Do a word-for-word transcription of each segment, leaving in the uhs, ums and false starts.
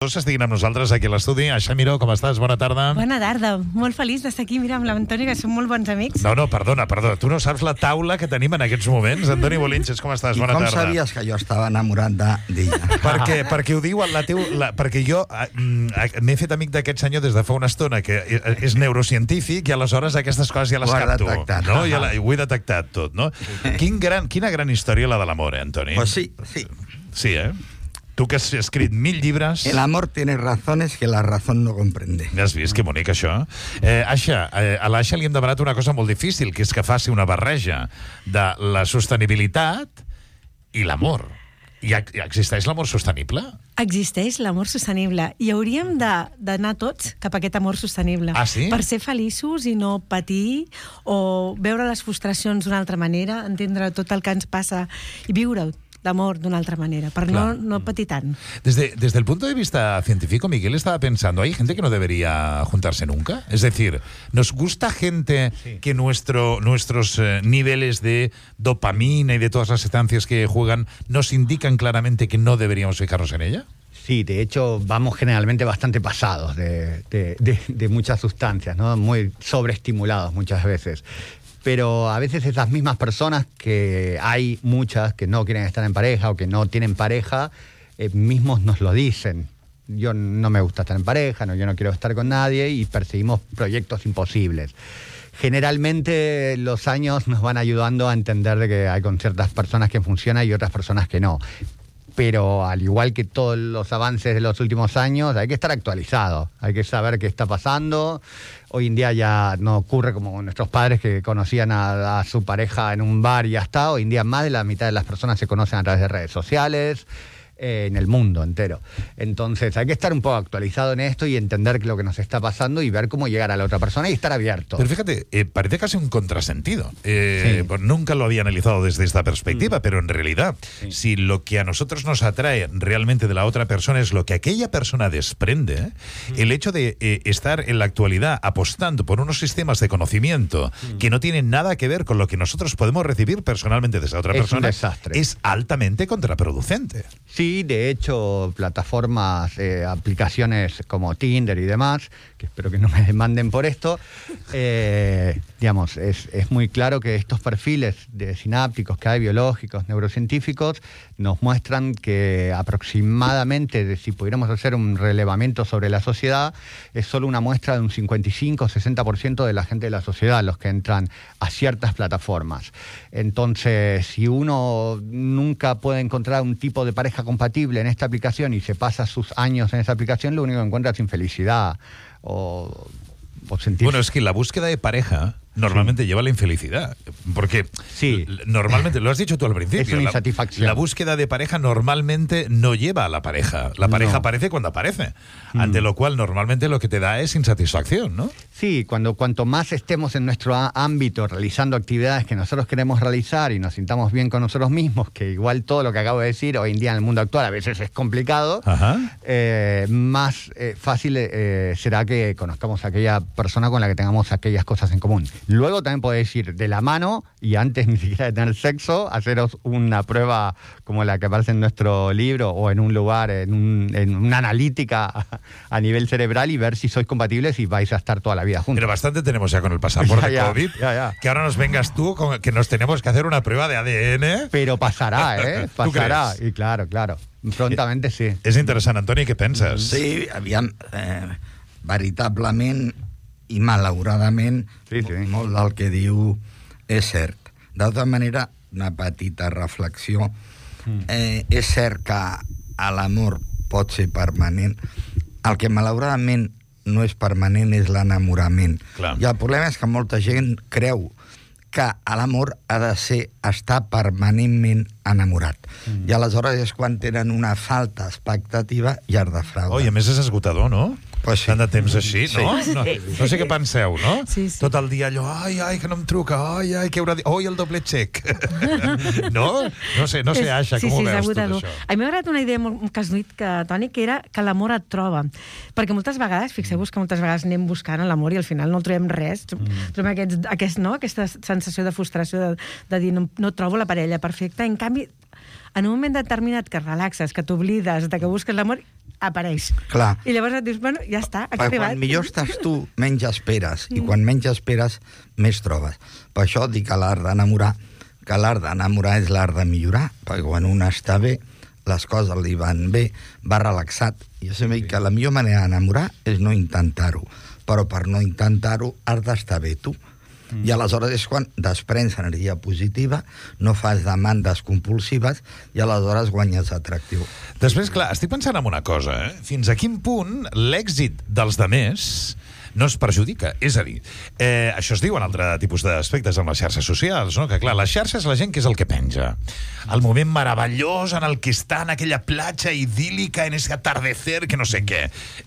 Estiguin amb nosaltres aquí a l'estudi. Aixa Miró, com estàs? Bona tarda. Bona tarda. Molt feliç d'estar aquí. Mira, amb l'Antoni, que som molt bons amics. No, no, perdona, perdona. Tu no saps la taula que tenim en aquests moments. Antoni Bolinches, com estàs? Bona tarda. I com sabies que jo estava enamorat d'ella? perquè, perquè ho diu la teu... La, perquè jo m'he fet amic d'aquest senyor des de fa una estona, que és neurocientífic, i aleshores aquestes coses ja les capto. No? Ja la, ho he detectat tot, no? Quin gran, quina gran història la de l'amor, eh, Antoni? Pues sí, sí. Sí, eh? Tu que has escrit mil llibres... El amor tiene razones que la razón no comprende. Has vist que bonic, això? Eh, Aixa, eh, a l'Aixa li hem demanat una cosa molt difícil, que és que faci una barreja de la sostenibilitat i l'amor. I existeix l'amor sostenible? Existeix l'amor sostenible i hauríem d'anar tots cap a aquest amor sostenible. Ah, sí? Per ser feliços i no patir o veure les frustracions d'una altra manera, entendre tot el que ens passa i viure-ho d'amor d'una altra manera, per no, no patir tant. Desde, desde el punto de vista científico, Miguel estaba pensando, ¿hay gente que no debería juntarse nunca? Es decir, ¿nos gusta gente sí. que nuestro, nuestros eh, niveles de dopamina y de todas las sustancias que juegan nos indican claramente que no deberíamos fijarnos en ella? Sí, de hecho vamos generalmente bastante pasados de, de, de, de muchas sustancias, ¿no? Muy sobreestimulados muchas veces. Pero a veces esas mismas personas, que hay muchas que no quieren estar en pareja o que no tienen pareja, eh, mismos nos lo dicen. Yo no me gusta estar en pareja, no, yo no quiero estar con nadie, y perseguimos proyectos imposibles. Generalmente los años nos van ayudando a entender de que hay con ciertas personas que funciona y otras personas que no. Pero al igual que todos los avances de los últimos años, hay que estar actualizado, hay que saber qué está pasando. Hoy en día ya no ocurre como nuestros padres, que conocían a, a su pareja en un bar y ya está. Hoy en día más de la mitad de las personas se conocen a través de redes sociales, eh, en el mundo entero. Entonces hay que estar un poco actualizado en esto y entender lo que nos está pasando y ver cómo llegar a la otra persona y estar abierto. Pero fíjate, eh, parece casi un contrasentido. Eh, sí. Pues nunca lo había analizado desde esta perspectiva, mm. pero en realidad, sí. si lo que a nosotros nos atrae realmente de la otra persona es lo que aquella persona desprende, mm. el hecho de eh, estar en la actualidad apostando por unos sistemas de conocimiento mm. que no tienen nada que ver con lo que nosotros podemos recibir personalmente de esa otra es persona, un desastre. Es altamente contraproducente. Sí, de hecho, plataformas, eh, aplicaciones como Tinder y demás, que espero que no me demanden por esto, eh, digamos, es, es muy claro que estos perfiles de sinápticos que hay, biológicos, neurocientíficos, nos muestran que aproximadamente, de, si pudiéramos hacer un relevamiento sobre la sociedad, es solo una muestra de un cincuenta y cinco a sesenta por ciento de la gente de la sociedad los que entran a ciertas plataformas. Entonces, si uno nunca puede encontrar un tipo de pareja compatible en esta aplicación y se pasa sus años en esa aplicación, lo único que encuentra es infelicidad o, o sentir... Bueno, es que la búsqueda de pareja normalmente sí. lleva a la infelicidad, porque sí. normalmente, lo has dicho tú al principio, es una insatisfacción. La, la búsqueda de pareja normalmente no lleva a la pareja, la pareja no. aparece cuando aparece, mm. ante lo cual normalmente lo que te da es insatisfacción, ¿no? Sí, cuando cuanto más estemos en nuestro ámbito realizando actividades que nosotros queremos realizar y nos sintamos bien con nosotros mismos, que igual todo lo que acabo de decir hoy en día en el mundo actual a veces es complicado, eh, más eh, fácil eh, será que conozcamos a aquella persona con la que tengamos aquellas cosas en común. Luego también podéis ir de la mano y antes ni siquiera de tener sexo, haceros una prueba como la que aparece en nuestro libro o en un lugar, en, un, en una analítica a nivel cerebral, y ver si sois compatibles y vais a estar toda la vida juntos. Pero bastante tenemos ya con el pasaporte ya, ya, COVID, ya, ya. que ahora nos vengas tú con que nos tenemos que hacer una prueba de A D N. Pero pasará, ¿eh? Pasará. Y claro, claro. Prontamente sí. És interessant, Antoni, què penses? Sí, aviam, eh, veritablement i malauradament sí, sí. molt del que diu és cert. D'altra manera, una petita reflexió. Eh, és cert que l'amor pot ser permanent. El que malauradament no és permanent és l'enamorament. I el problema és que molta gent creu que l'amor ha de ser estar permanentment enamorat. Mm. I aleshores és quan tenen una falta expectativa i es defrauden. Oh, i a més és esgotador, no? Pues sí. Tant de temps així, no? Sí. No, no sé què penseu, no? Sí, sí. Tot el dia allò, ai, ai, que no em truca, ai, ai, que haurà dit, oi, el doble xec. No? No sé, no sé, Aixa, sí, com sí, ho veus tot això? A mi m'ha agradat una idea molt que has dit, que, Toni, que era que l'amor et troba. Perquè moltes vegades, fixeu-vos que moltes vegades anem buscant l'amor i al final no trobem res. Mm. Trobem aquest, aquest, no? aquesta sensació de frustració de, de dir no, no trobo la parella perfecta. En canvi, en un moment determinat que relaxes, que t'oblides, de que busques l'amor, apareix. Clar. I llavors et dius, bueno, ja està, ha Perquè arribat. quan millor estàs tu, menys esperes. I quan menys esperes, més trobes. Per això dic a l'art d'enamorar, que l'art d'enamorar és l'art de millorar, perquè quan un està bé, les coses li van bé, va relaxat. Jo sempre dic que la millor manera d'enamorar és no intentar-ho, però per no intentar-ho has d'estar bé tu. Mm. I aleshores és quan desprens energia positiva, no fas demandes compulsives i aleshores guanyes atractiu. Després, clar, estic pensant en una cosa, eh? Fins a quin punt l'èxit dels demés no es perjudica. És a dir, eh, això es diu en altre tipus d'aspectes amb les xarxes socials, no? Que clar, les xarxes, la gent, què és el que penja? El moment meravellós en el que està en aquella platja idíl·lica, en ese atardecer, que no sé què.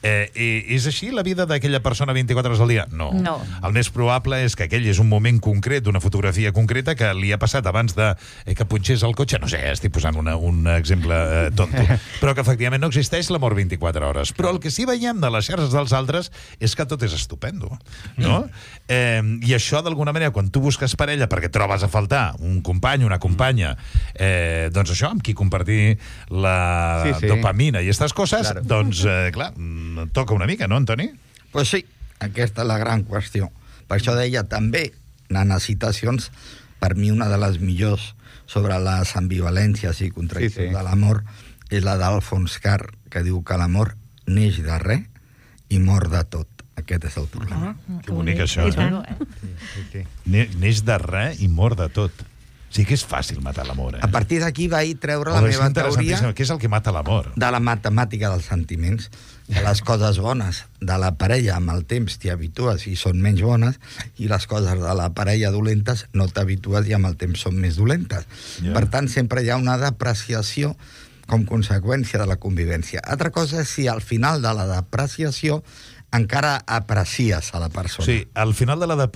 Eh, és així la vida d'aquella persona vint-i-quatre hores al dia? No. No. El més probable és que aquell és un moment concret, una fotografia concreta que li ha passat abans de eh, que punxés el cotxe. No sé, estic posant una, un exemple eh, tonto. Però que efectivament no existeix l'amor vint-i-quatre hores. Però el que sí veiem de les xarxes dels altres és que tot és estupendo, no? Mm. Eh, I això, d'alguna manera, quan tu busques parella perquè trobes a faltar un company, una companya, eh, doncs això, amb qui compartir la sí, sí. dopamina i aquestes coses, claro. doncs, eh, clar, toca una mica, no, Antoni? Pues sí, aquesta és la gran qüestió. Per això deia també, Nana Citacions, per mi una de les millors sobre les ambivalències i contradiccions sí, sí. de l'amor és la d'Alfons Carr, que diu que l'amor neix de res i mor de tot. Aquest és el problema. Ah, que bonic, això, eh? Sí, sí, sí. Neix de res i mor de tot. Sí que és fàcil matar l'amor, eh? A partir d'aquí vaig treure la meva teoria... Què és el que mata l'amor? De la matemàtica dels sentiments, de les coses bones de la parella amb el temps t'hi habitues i són menys bones, i les coses de la parella dolentes no t'habitues i amb el temps són més dolentes. Yeah. Per tant, sempre hi ha una depreciació com conseqüència de la convivència. Altra cosa és si al final de la depreciació encara aprecies a la persona. Sí, al final de la... De,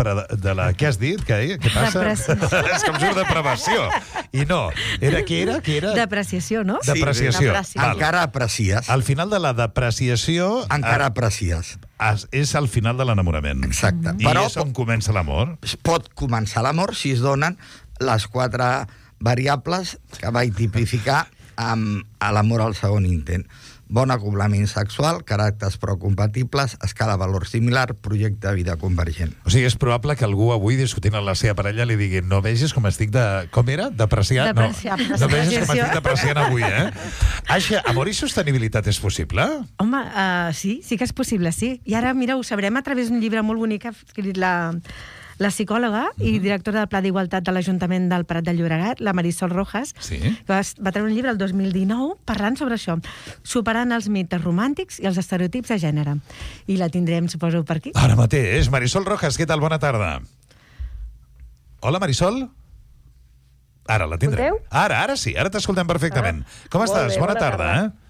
de la què has dit? Què, què passa? És com surt depravació. I no. Era, què era? Què era? Depreciació, no? Sí, depreciació. Sí, encara aprecies. Al final de la depreciació... Encara aprecies. És al final de l'enamorament. Exacte. I Però és on comença l'amor. Pot començar l'amor si es donen les quatre variables que vaig tipificar amb l'amor al segon intent. Bon acoblament sexual, caràcters procompatibles, escala valor similar, projecte de vida convergent. O sigui, és probable que algú avui discutint amb la seva parella li digui no vegis com estic de... Com era? Depreciat? Depreciat. No, no vegis com estic depreciant avui, eh? Aixa, amor i sostenibilitat és possible? Home, uh, sí, sí que és possible, sí. I ara, mira, ho sabrem a través d'un llibre molt bonic que ha escrit la... la psicòloga uh-huh. i directora del Pla d'Igualtat de l'Ajuntament del Prat de Llobregat, la Marisol Rojas, sí. que va, va treure un llibre el dos mil dinou parlant sobre això, superant els mites romàntics i els estereotips de gènere. I la tindrem, suposo, per aquí. Ara mateix. Marisol Rojas, què tal? Bona tarda. Hola, Marisol? Ara la tindrem. Escolteu? Ara, ara sí, ara t'escoltem perfectament. Ah, Com estàs? bé, bona, bona tarda, tarda. eh?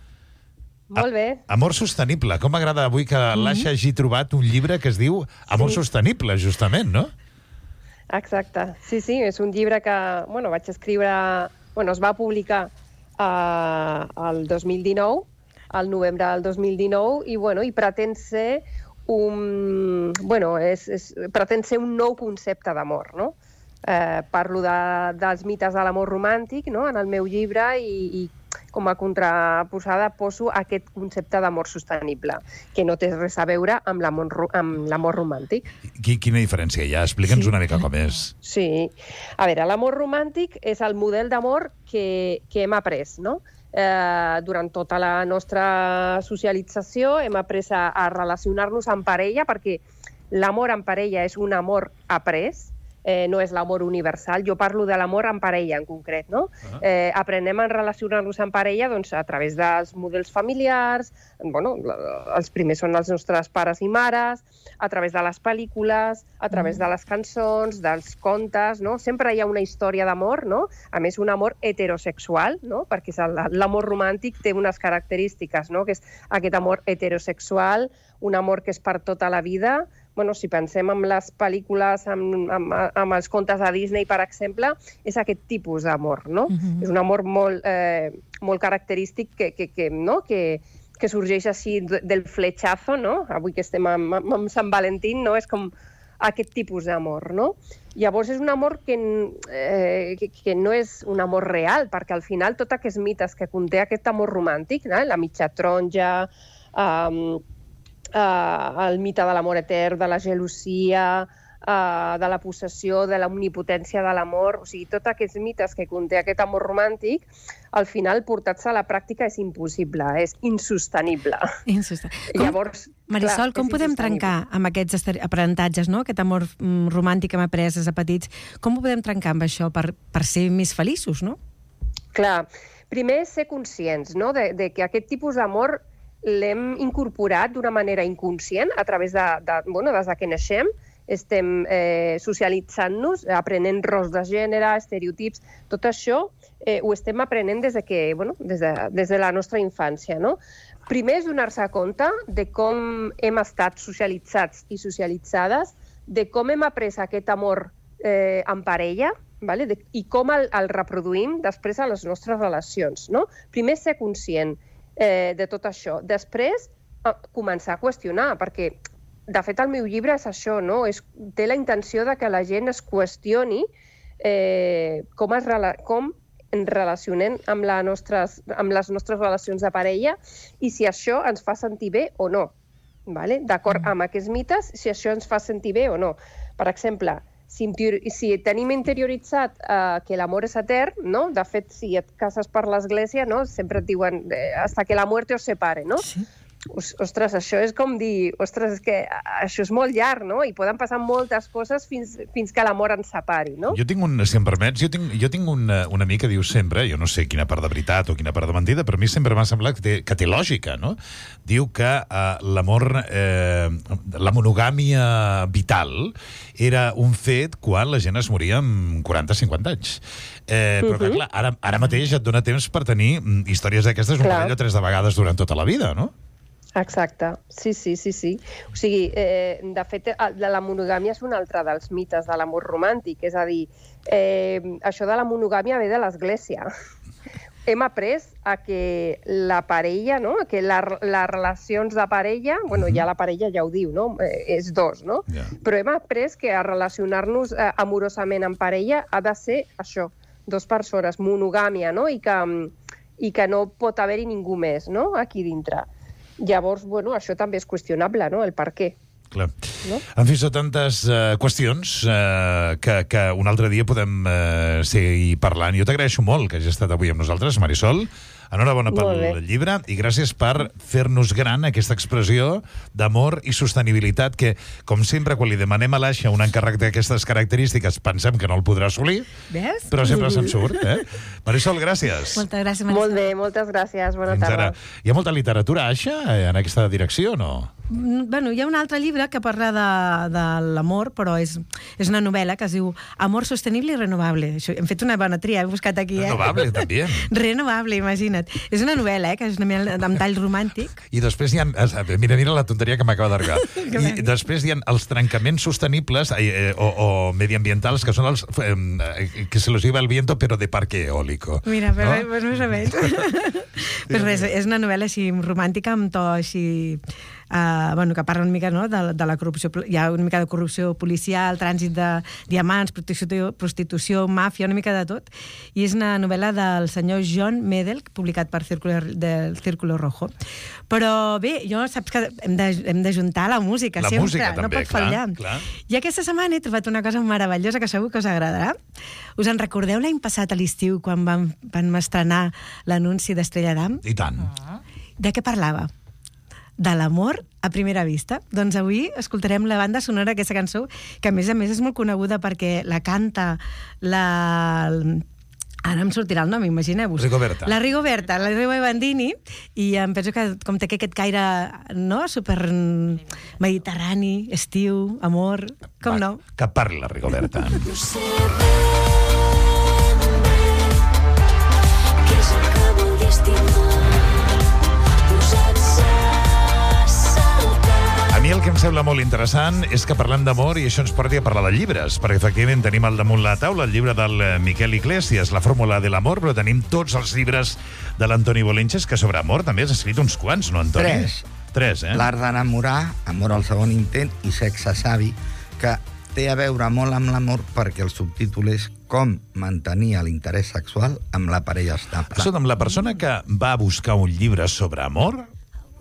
Molt bé. Amor sostenible. Com m'agrada avui que mm-hmm. l'Aixa hagi trobat un llibre que es diu Amor sí. sostenible, justament, no? Exacte. Sí, sí, és un llibre que bueno, vaig escriure... Bueno, es va publicar eh, el dos mil dinou, al novembre del dos mil dinou, i, bueno, i pretén ser un... Bueno, és, és, pretén ser un nou concepte d'amor, no? Eh, parlo de, dels mites de l'amor romàntic, no?, en el meu llibre, i, i com a contraposada poso aquest concepte d'amor sostenible, que no té res a veure amb l'amor amb l'amor romàntic. Quina diferència hi ha? Explica'ns sí. una mica com és. Sí. A veure, l'amor romàntic és el model d'amor que, que hem après, no? Eh, durant tota la nostra socialització hem après a, a relacionar-nos en parella, perquè l'amor en parella és un amor après, Eh, no és l'amor universal. Jo parlo de l'amor en parella, en concret, no? Uh-huh. Eh, aprenem a relacionar-nos en parella doncs, a través dels models familiars, bueno, els primers són els nostres pares i mares, a través de les pel·lícules, a través uh-huh. de les cançons, dels contes, no? Sempre hi ha una història d'amor, no? A més, un amor heterosexual, no? Perquè l'amor romàntic té unes característiques, no? Que és aquest amor heterosexual, un amor que és per tota la vida. Bueno, si pensem en les pel·lícules, amb, amb, amb els contes de Disney, per exemple, és aquest tipus d'amor, no? Uh-huh. És un amor molt, eh, molt característic que, que, que, no? que, que sorgeix així del fletxazo, no? Avui que estem amb, amb Sant Valentín, no? És com aquest tipus d'amor, no? Llavors és un amor que, eh, que, que no és un amor real, perquè al final tots aquests mites que conté aquest amor romàntic, no? La mitja taronja, eh, eh, el mite de l'amor etern, de la gelosia, Uh, de la possessió, de la omnipotència de l'amor, o sigui, tots aquests mites que conté aquest amor romàntic, al final portar-se a la pràctica és impossible, és insostenible. Insostenible. Llavors, Marisol, clar, com podem trencar amb aquests aprenentatges, no? Aquest amor mm, romàntic que hem après des de petits, com ho podem trencar amb això per, per ser més feliços, no? Clar, primer ser conscients, no? de, de que aquest tipus d'amor l'hem incorporat d'una manera inconscient a través de, de bueno, des que naixem, estem eh, socialitzant-nos, aprenent rols de gènere, estereotips, tot això eh, ho estem aprenent des de, que, bueno, des de, des de la nostra infància, no? Primer és donar-se compte de com hem estat socialitzats i socialitzades, de com hem après aquest amor eh, en parella, vale? de, i com el, el reproduïm després a les nostres relacions, no? Primer ser conscient eh, de tot això. Després, eh, començar a qüestionar, perquè de fet, el meu llibre és això, no? És, té la intenció de que la gent es qüestioni eh, com, es, com ens relacionem amb, la nostres, amb les nostres relacions de parella i si això ens fa sentir bé o no. Vale? D'acord amb aquests mites, si això ens fa sentir bé o no. Per exemple, si, si tenim interioritzat eh, que l'amor és etern, no? De fet, si et cases per l'església, no? Sempre et diuen eh, hasta que la muerte os separe, no? Sí. Ostres, això és com dir, ostres, és que això és molt llarg, no? I poden passar moltes coses fins, fins que l'amor ens separi, no? Jo tinc un, si em permets, jo tinc, jo tinc un, un amic que diu sempre, jo no sé quina part de veritat o quina part de mentida, però a mi sempre m'ha semblat que té, que té lògica, no? Diu que uh, l'amor, eh, la monogàmia vital era un fet quan la gent es moria amb quaranta cinquanta anys. Eh, però, uh-huh. clar, ara, ara mateix et dona temps per tenir històries d'aquestes un parell o tres de vegades durant tota la vida, no? Exacte, sí, sí, sí, sí. O sigui, eh, de fet, la monogàmia és un altre dels mites de l'amor romàntic, és a dir, eh, això de la monogàmia ve de l'Església. Hem après a que la parella, no? que la, les relacions de parella, bueno, ja la parella ja ho diu, no? Eh, és dos, no? Yeah. Però hem après que a relacionar-nos eh, amorosament en parella ha de ser això, dos persones, monogàmia, no? I que, i que no pot haver-hi ningú més, no? Aquí dintre. Llavors, bueno, això també és qüestionable, no?, el per què. Clar. No? En fi, són tantes uh, qüestions uh, que, que un altre dia podem uh, seguir parlant. Jo t'agraeixo molt que hagis estat avui amb nosaltres, Marisol. Enhorabona pel llibre i gràcies per fer-nos gran aquesta expressió d'amor i sostenibilitat que, com sempre, quan li demanem a l'Aixa un encàrrec d'aquestes característiques pensem que no el podrà assolir, ¿ves? Però sempre se'n surt, eh? Marisol, gràcies. Moltes gràcies, Marisol. Molt bé, moltes gràcies. Bona Fins tarda. Ara. Hi ha molta literatura, Aixa, en aquesta direcció o no? Bueno, hi ha un altre llibre que parla de, de l'amor, però és, és una novel·la que es diu Amor sostenible i renovable. Això, hem fet una bona tria, he buscat aquí, eh? Renovable, també. Renovable, imagina't. És una novel·la, eh, que és una novel·la amb tall romàntic. I després hi ha... Mira, mira la tonteria que m'acaba d'arribar. I després hi ha els trencaments sostenibles eh, o, o mediambientals, que són els eh, que se los lleva el viento, però de parque eólico. Mira, però no? Pues més o menys. Però res, és una novel·la així romàntica, amb to així... Uh, bueno, que parla una mica, no?, de, de la corrupció. Hi ha una mica de corrupció policial, trànsit de diamants, prostitució, prostitució, màfia, una mica de tot. I és una novel·la del senyor John Medel, publicat per Círculo, del Círculo Rojo. Però bé, jo saps que hem de, hem de juntar la música, la sempre, música, no també, pot fallar. Clar, clar. I aquesta setmana he trobat una cosa meravellosa que segur que us agradarà. Us en recordeu l'any passat a l'estiu, quan vam, vam estrenar l'anunci d'Estrella d'Am? I tant. Ah. De què parlava? De l'amor a primera vista. Doncs avui escoltarem la banda sonora d'aquesta cançó, que a més a més és molt coneguda perquè la canta la... Ara em sortirà el nom, imagineu-vos. Rigoberta. La Rigoberta, la Rigo Bandini, i em penso que com té aquest caire, no?, super mediterrani, estiu, amor, com Va, no? Que parli la Rigoberta. No sé ben bé què és el que vol estimar. A mi el que em sembla molt interessant és que parlem d'amor i això ens porti a parlar de llibres, perquè efectivament tenim al damunt la taula el llibre del Miquel Iglesias, La fórmula de l'amor, però tenim tots els llibres de l'Antoni Bolenches, que sobre amor també has escrit uns quants, no, Antoni? Tres. Tres, eh? L'art d'enamorar, Amor al segon intent i Sexe savi, que té a veure molt amb l'amor perquè el subtítol és com mantenir l'interès sexual amb la parella estable. Escolta'm, la persona que va a buscar un llibre sobre amor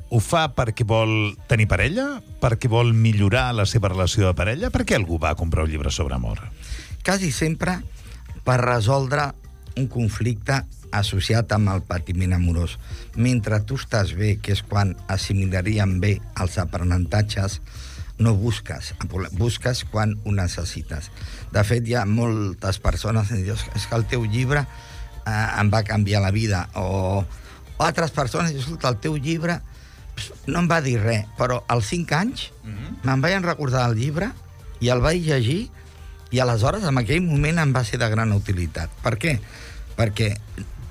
ho fa perquè vol tenir parella? Perquè vol millorar la seva relació de parella? Per què algú va a comprar un llibre sobre amor? Quasi sempre per resoldre un conflicte associat amb el patiment amorós. Mentre tu estàs bé, que és quan assimilaríem bé els aprenentatges, no busques, busques quan ho necessites. De fet, hi ha moltes persones que diuen és que el teu llibre eh, em va canviar la vida, o, o altres persones diuen, escolta, el teu llibre no em va dir res, però als cinc anys mm-hmm. me'n vaig recordar el llibre i el vaig llegir i aleshores en aquell moment em va ser de gran utilitat. Per què? Perquè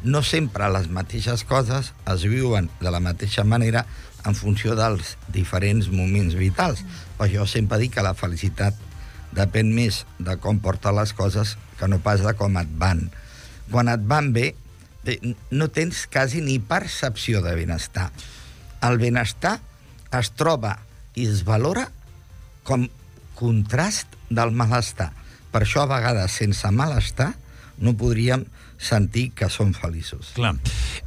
no sempre les mateixes coses es viuen de la mateixa manera en funció dels diferents moments vitals. Per això sempre dic que la felicitat depèn més de com portes les coses que no pas de com et van. Quan et van bé, no tens quasi ni percepció de benestar. El benestar es troba i es valora com contrast del malestar. Per això, a vegades, sense malestar, no podríem sentir que som feliços. Clar.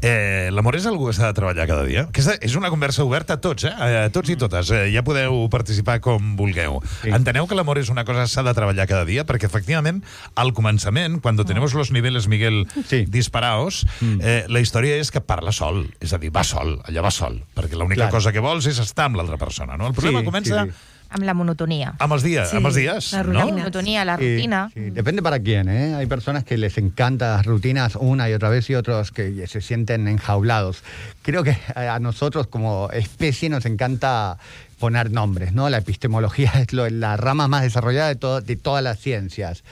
Eh, L'amor és algú que s'ha de treballar cada dia? Aquesta és una conversa oberta a tots, eh? A tots i totes. Eh, ja podeu participar com vulgueu. Sí. Enteneu que l'amor és una cosa que s'ha de treballar cada dia? Perquè, efectivament, al començament, quan tenemos los niveles, Miguel, sí. disparaos, eh, la història és que parla sol. És a dir, va sol, allà va sol. Perquè l'única cosa que vols és estar amb l'altra persona, no? El problema sí, comença... Sí, sí. Amb la monotonía. Amb els días, sí, amb els días, la ¿no? La monotonía, la rutina. Sí, sí. Depende para quién, ¿eh? Hay personas que les encantan las rutinas una y otra vez y otros que se sienten enjaulados. Creo que a nosotros como especie nos encanta poner nombres, ¿no? La epistemología es lo, la rama más desarrollada de, todo, de todas las ciencias.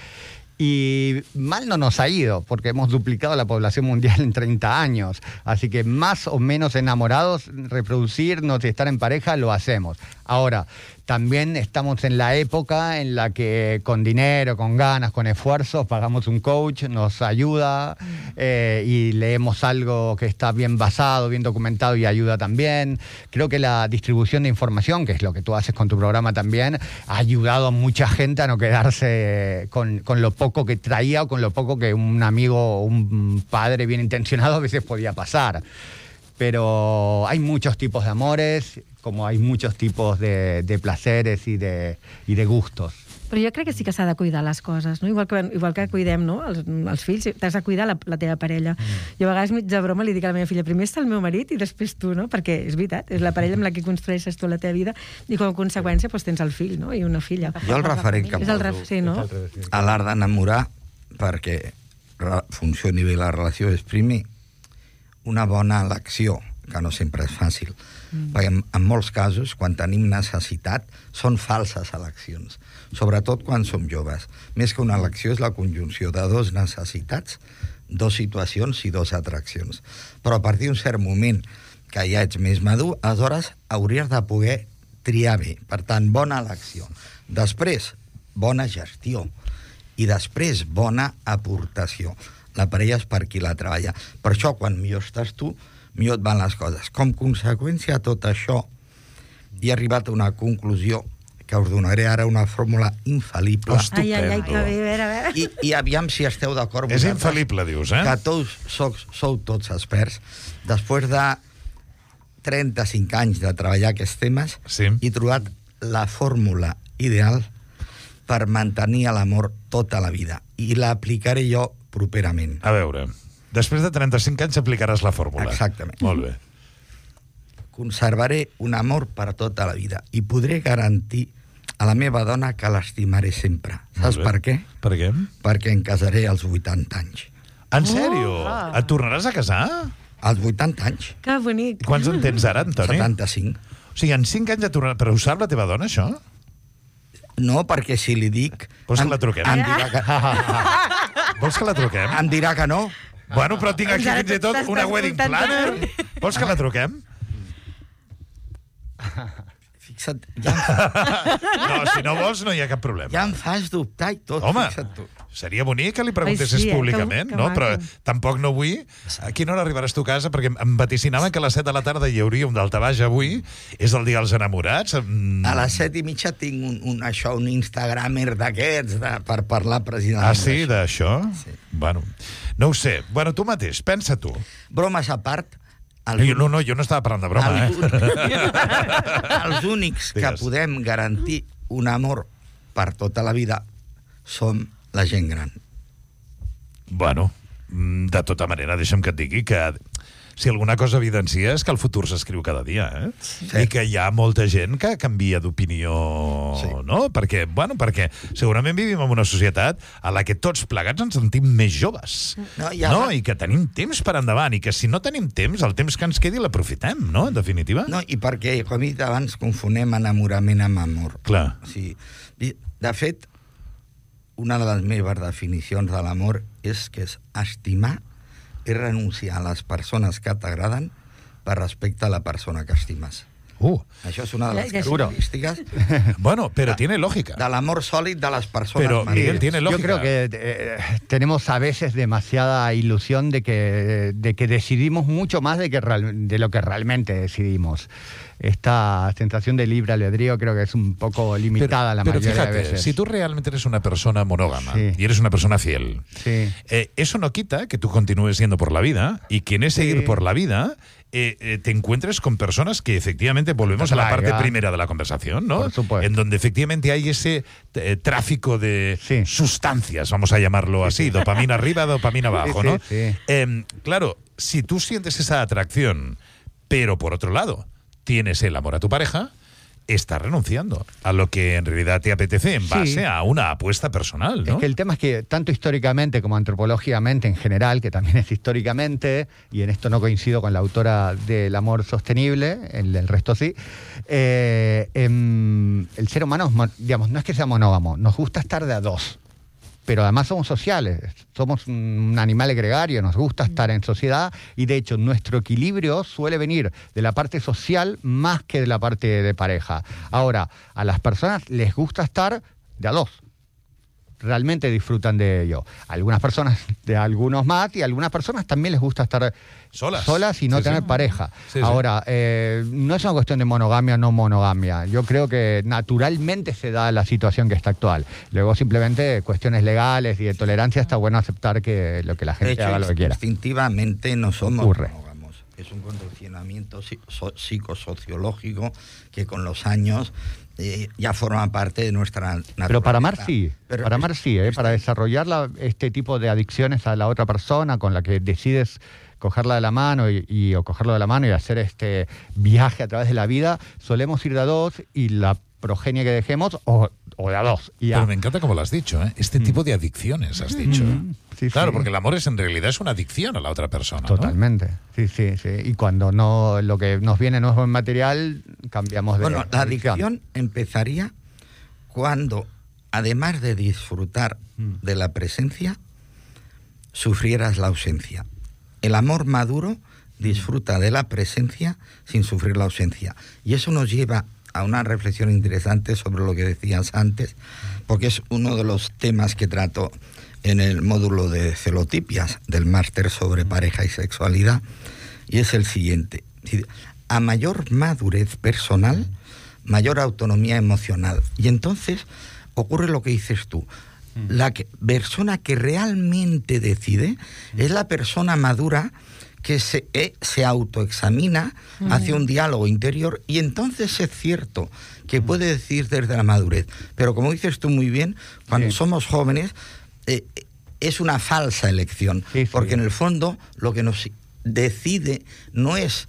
Y mal no nos ha ido, porque hemos duplicado la población mundial en treinta años. Así que más o menos enamorados, reproducirnos y estar en pareja, lo hacemos. Ahora, también estamos en la época en la que con dinero, con ganas, con esfuerzos, pagamos un coach, nos ayuda eh, y leemos algo que está bien basado, bien documentado y ayuda también. Creo que la distribución de información, que es lo que tú haces con tu programa también, ha ayudado a mucha gente a no quedarse con, con lo poco que traía o con lo poco que un amigo o un padre bien intencionado a veces podía pasar. Pero hay muchos tipos de amores, como hay muchos tipos de, de placeres y de, y de gustos. Però jo crec que sí que s'ha de cuidar les coses, no? Igual que, igual que cuidem, no? els, els fills, t'has de cuidar la, la teva parella. Mm. Jo a vegades mig de broma li dic a la meva filla, primer està el meu marit i després tu, no? Perquè és veritat, és la parella amb la que construeixes tu la teva vida i com a conseqüència doncs, tens el fill, no? I una filla. Jo el referent que poso ref... sí, no? a l'art d'enamorar, perquè funcioni bé la relació, és primer una bona elecció, que no sempre és fàcil. Mm. Perquè en, en molts casos, quan tenim necessitat, són falses eleccions. Sobretot quan som joves. Més que una elecció és la conjunció de dos necessitats, dos situacions i dos atraccions. Però a partir d'un cert moment que ja ets més madur, aleshores hauries de poder triar bé. Per tant, bona elecció. Després, bona gestió. I després, bona aportació. La parella és per qui la treballa. Per això, quan millor estàs tu, millor et van les coses. Com conseqüència de tot això, he arribat a una conclusió que us donaré ara una fórmula infal·lible. Ai, ai, ai, que bé, a veure, a veure. I, i aviam si esteu d'acord. És infal·lible, dius, eh? Que tots sou, sou tots experts. Després de trenta-cinc anys de treballar aquests temes, sí. he trobat la fórmula ideal per mantenir l'amor tota la vida. I l'aplicaré jo properament. A veure, després de trenta-cinc anys aplicaràs la fórmula. Exactament. Molt bé. Conservaré un amor per tota la vida i podré garantir a la meva dona que l'estimaré sempre. Saps per què? Per què? Perquè em casaré als vuitanta anys. En sèrio? Oh, Et tornaràs a casar? Als vuitanta anys. Que bonic. Quants en tens ara, Antoni? setanta-cinc. O sigui, en cinc anys et tornaràs... Però ho sap la teva dona, això? No, perquè si li dic... Vols que la truquem? Em dirà que... Vols que la truquem? Em dirà que no. Bueno, però tinc aquí fins i tot una wedding planner. Vols que la truquem? Fixa't, ja em, No, si no vols no hi ha cap problema. ja em fas dubtar i tot, Home, fixa't tu. seria bonic que li preguntessis Ai, sí, eh? públicament, Que- que no? maco. Però tampoc no vull. A quina hora arribaràs tu a casa? Perquè em vaticinaven que a les set de la tarda hi hauria un daltabaix avui. És el dia dels enamorats. Mm. A les set i mitja tinc un, un, això, un instagramer d'aquests de, per parlar precisament Ah, sí, d'això. d'això? Sí. Bueno, no ho sé. Bueno, tu mateix, pensa tu. Bromes a part, No, jo- no, no, jo no estava parlant de broma, els, eh? els únics que Digues. podem garantir un amor per tota la vida som la gent gran. Bueno, mm, de tota manera, deixa'm que et digui que si alguna cosa evidencia és que el futur s'escriu cada dia, eh? Sí. I que hi ha molta gent que canvia d'opinió, Sí. no? Perquè, bueno, perquè segurament vivim en una societat a la que tots plegats ens sentim més joves, No, no? i ara- I que tenim temps per endavant, i que si no tenim temps, el temps que ens quedi l'aprofitem, no? En definitiva. No, i perquè, com he dit abans, confonem enamorament amb amor. Clar. O sigui, i, de fet, una de les meves definicions de l'amor és que és estimar i renunciar a les persones que t'agraden per respecte a la persona que estimes. Uh, Això és una de les Ja- ja- característiques bueno, pero tiene lógica. de l'amor sòlid de les persones Pero, madures. Miguel, tiene Yo lógica. creo que eh, tenemos a veces demasiada ilusión de que, de que decidimos mucho más de, que real- de lo que realmente decidimos. Esta sensación de libre albedrío creo que es un poco limitada la pero mayoría fíjate, de veces. si tú realmente eres una persona monógama Sí. y eres una persona fiel, Sí. eh, eso no quita que tú continúes yendo por la vida y que en ese Sí. ir por la vida eh, eh, te encuentres con personas que efectivamente volvemos a la parte Atraigan. primera de la conversación, ¿no? Por supuesto. En donde efectivamente hay ese eh, tráfico de Sí. sustancias, vamos a llamarlo así, dopamina arriba, dopamina abajo, Sí, ¿no? sí, sí. Eh, claro, si tú sientes esa atracción, pero por otro lado tienes el amor a tu pareja, estás renunciando a lo que en realidad te apetece en Sí. base a una apuesta personal, ¿no? Es que el tema es que tanto históricamente como antropológicamente en general, que también es históricamente, y en esto no coincido con la autora del amor sostenible, el, el resto sí, eh, em, el ser humano, es mon- digamos, no es que sea monógamo, nos gusta estar de a dos. Pero además somos sociales, somos un animal gregario, nos gusta estar en sociedad y de hecho nuestro equilibrio suele venir de la parte social más que de la parte de pareja. Ahora, a las personas les gusta estar de a dos. Realmente disfrutan de ello. Algunas personas, de algunos más, y algunas personas también les gusta estar Solas. solas y no Sí, tener sí. pareja. Sí, sí. Ahora, eh, no es una cuestión de monogamia o no monogamia. Yo creo que naturalmente se da la situación que está actual. Luego simplemente cuestiones legales y de tolerancia está bueno aceptar que lo que la De gente hecho, haga lo que quiera. instintivamente no somos Ocurre. monógamos. Es un condicionamiento psi- so- psicosociológico que con los años eh, ya forma parte de nuestra naturaleza. Pero para amar sí, Pero para amar es- sí, ¿eh? es- Para desarrollar la- este tipo de adicciones a la otra persona con la que decides cogerla de la mano y, y- o cogerlo de la mano y hacer este viaje a través de la vida, solemos ir de a dos y la progenie que dejemos o, o de a dos. Y ya. Pero me encanta como lo has dicho, ¿eh? Este tipo de adicciones has dicho. Mm, sí, claro, sí. porque el amor es en realidad es una adicción a la otra persona, ¿no? Totalmente, sí, sí, sí. Y cuando no lo que nos viene no es buen material, cambiamos de Bueno, la adicción. adicción empezaría cuando, además de disfrutar de la presencia, sufrieras la ausencia. El amor maduro disfruta de la presencia sin sufrir la ausencia. Y eso nos lleva a una reflexión interesante sobre lo que decías antes, porque es uno de los temas que trato en el módulo de celotipias del máster sobre pareja y sexualidad, y es el siguiente. A mayor madurez personal, mayor autonomía emocional. Y entonces ocurre lo que dices tú. La que, persona que realmente decide es la persona madura que se, eh, se autoexamina, uh-huh. hace un diálogo interior y entonces es cierto que puede decir desde la madurez. Pero como dices tú muy bien, cuando sí. somos jóvenes eh, es una falsa elección, sí, sí. porque en el fondo lo que nos decide no es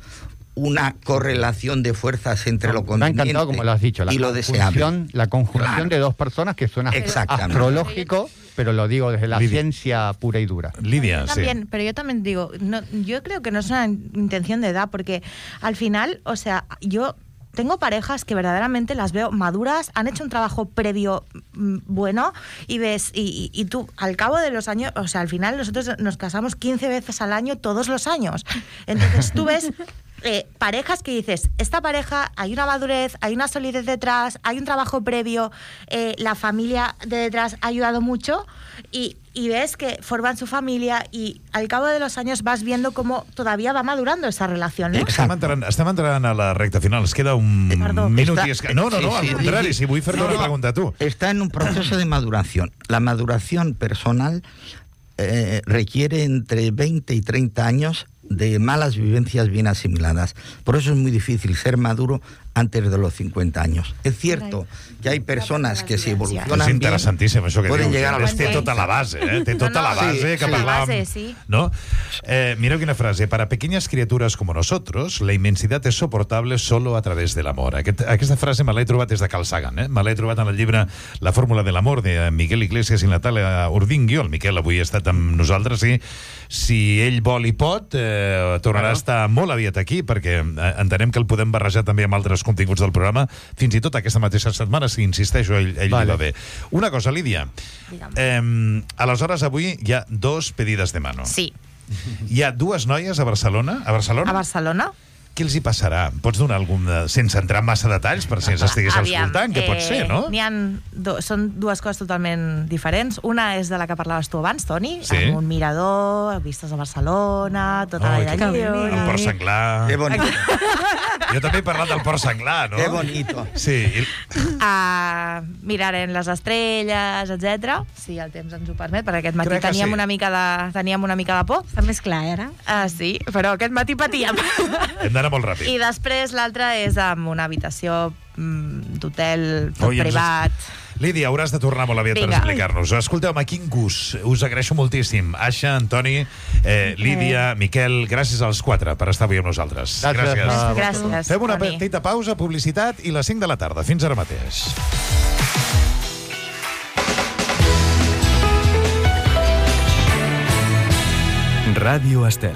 una correlación de fuerzas entre lo conveniente me ha encantado, como lo has dicho, la y lo deseable. La conjunción claro. de dos personas que suena astrológico, pero lo digo desde la Lidia. ciencia pura y dura. Lidia, yo también, sí. Pero yo también digo, no, yo creo que no es una intención de edad, porque al final, o sea, yo tengo parejas que verdaderamente las veo maduras, han hecho un trabajo previo mmm, bueno, y ves, y, y, y tú, al cabo de los años, o sea, al final nosotros nos casamos quince veces al año, todos los años. Entonces tú ves eh, parejas que dices, esta pareja, hay una madurez, hay una solidez detrás, hay un trabajo previo, eh, la familia de detrás ha ayudado mucho y, y ves que forman su familia y al cabo de los años vas viendo cómo todavía va madurando esa relación, ¿no? Estem entrant, estem entrant a la recta final. Es queda un Perdó. minut Está- i... Es... No, no, no, sí, al sí, contrari. sí, sí. Si vull fer-te No, una no. pregunta a tu. Está en un proceso de maduración. La maduración personal eh, requiere entre veinte y treinta años de malas vivencias bien asimiladas. Por eso es muy difícil ser maduro antes de los cincuenta años. Es cierto que hay persones que si És evolucionen bien interessantíssim, això que poden dius. llegar a los Té tota la base, eh? Té tota No, no, la base sí, que sí. parlàvem. La base, sí. ¿No? Eh, mireu quina frase. Para pequeñas criaturas como nosotros, la inmensidad es soportable solo a través del amor. Aquest, aquesta frase me l'he trobat des de Carl Sagan. Eh? Me l'he trobat en el llibre La fórmula del amor de Miguel Iglesias i Natàlia Urdingui. El Miquel avui ha estat amb nosaltres i si ell vol i pot, eh, tornarà a estar molt aviat aquí, perquè eh, entenem que el podem barrejar també amb altres continguts del programa, fins i tot aquesta mateixa setmana, si insisteixo, ell, ell Vale. li va bé. Una cosa, Lídia. Digue'm. Eh, aleshores, avui hi ha dos pedides de mano. Sí. Hi ha dues noies a Barcelona. A Barcelona? A Barcelona? Què els hi passarà? Pots donar algun... de- sense entrar en massa detalls, per si ens estigués Aviam, escoltant, que pot ser, no? N'hi ha do, són dues coses totalment diferents. Una és de la que parlaves tu abans, Toni, Sí. amb un mirador, vistes a Barcelona, tota Ai, la que vida El lliure. port senglar. Qué bonito, Jo també he parlat del port senglar, no? qué bonito. Sí. I... A miraren les estrelles, etcètera, si el temps ens ho permet, perquè aquest matí Crec que teníem, sí. una mica de, teníem una mica de por. Està més clar, ara. Ah, sí, però aquest matí patíem. Hem d'anar molt ràpid. I després l'altra és amb una habitació mm, d'hotel, tot Oi, ens- privat. Lídia, hauràs de tornar molt aviat per Vinga. explicar-nos. Escolteu-me, quin gust. Us agraeixo moltíssim. Aixa, Antoni, eh, Lídia, Miquel, gràcies als quatre per estar avui amb nosaltres. Gràcies. Ah, Gràcies, Fem una Toni. petita pausa, publicitat i les cinc de la tarda. Fins ara mateix. Radio Estel.